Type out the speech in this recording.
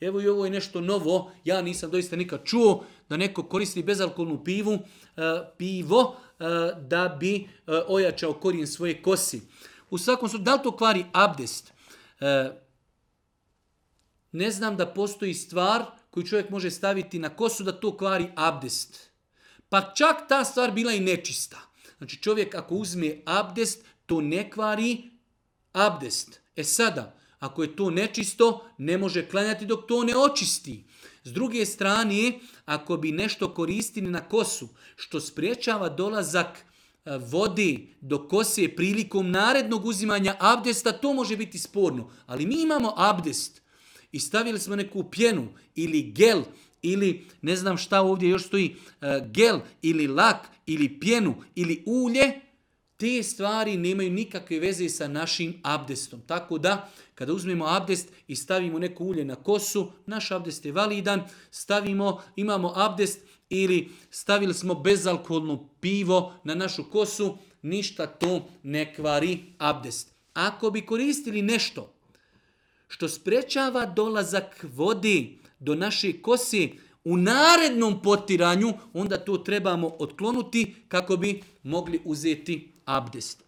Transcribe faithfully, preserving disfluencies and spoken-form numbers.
Evo i ovo je nešto novo, ja nisam doista nikad čuo da neko koristi bezalkoholnu pivu, uh, pivo uh, da bi uh, ojačao korijen svoje kosi. U svakom slučaju, da li to kvari abdest? Uh, ne znam da postoji stvar koju čovjek može staviti na kosu da to kvari abdest. Pa čak ta stvar bila i nečista. Znači čovjek ako uzme abdest, to ne kvari abdest. E sada, ako je to nečisto, ne može klanjati dok to ne očisti. S druge strane, ako bi nešto koristili na kosu, što spriječava dolazak vode do kose prilikom narednog uzimanja abdesta, to može biti sporno. Ali mi imamo abdest i stavili smo neku pjenu ili gel, ili ne znam šta ovdje još stoji, gel ili lak ili pjenu ili ulje, te stvari nemaju nikakve veze sa našim abdestom. Tako da, kada uzmemo abdest i stavimo neko ulje na kosu, naš abdest je validan, stavimo, imamo abdest ili stavili smo bezalkoholno pivo na našu kosu, ništa to ne kvari abdest. Ako bi koristili nešto što sprečava dolazak vode do naše kose u narednom potiranju, onda to trebamo otklonuti kako bi mogli uzeti abdest.